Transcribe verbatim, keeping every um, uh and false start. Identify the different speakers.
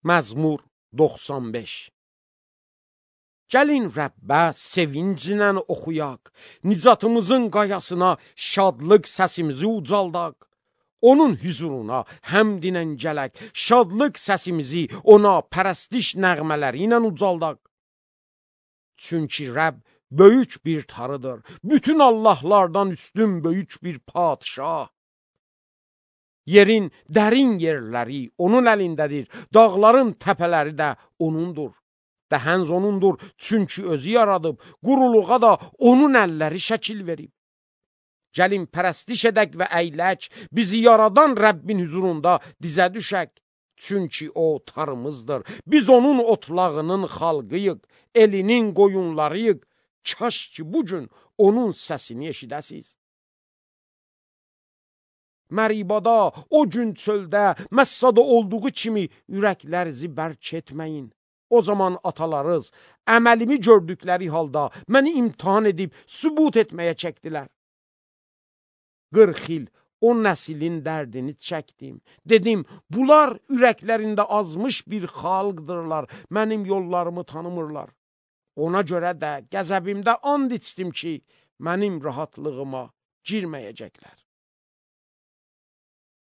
Speaker 1: Məzmur doxsan beş. Gəlin Rəbbə sevinclə oxuyaq, nicatımızın qayasına şadlıq səsimizi ucaldaq. Onun hüzuruna həmdinə gələk, şadlıq səsimizi ona pərəstiş nəğmələri ilə ucaldaq. Çünki Rəbb böyük bir tarıdır, bütün Allahlardan üstün böyük bir padişah. Yerin dərin yerləri onun əlindədir, dağların təpələri də onundur. Dəhənz onundur, çünki özü yaradıb, quruluğa da onun əlləri şəkil verib. Gəlin pərəstiş edək və əylək, bizi yaradan Rəbbin hüzurunda dizə düşək. Çünki o tarımızdır, biz onun otlağının xalqıyıq, elinin qoyunlarıyıq. Kaş ki bugün onun səsini eşidəsiz. Məribada, o gün çöldə, Məssada olduğu kimi ürəklərinizi bərk etməyin. O zaman atalarız, əməlimi gördükləri halda məni imtihan edib sübut etməyə çəkdilər. qırx il o nəslin dərdini çəkdim. Dedim, bunlar ürəklərində azmış bir xalqdırlar, mənim yollarımı tanımırlar. Ona görə də qəzəbimdə and içdim ki, mənim rahatlığıma girməyəcəklər.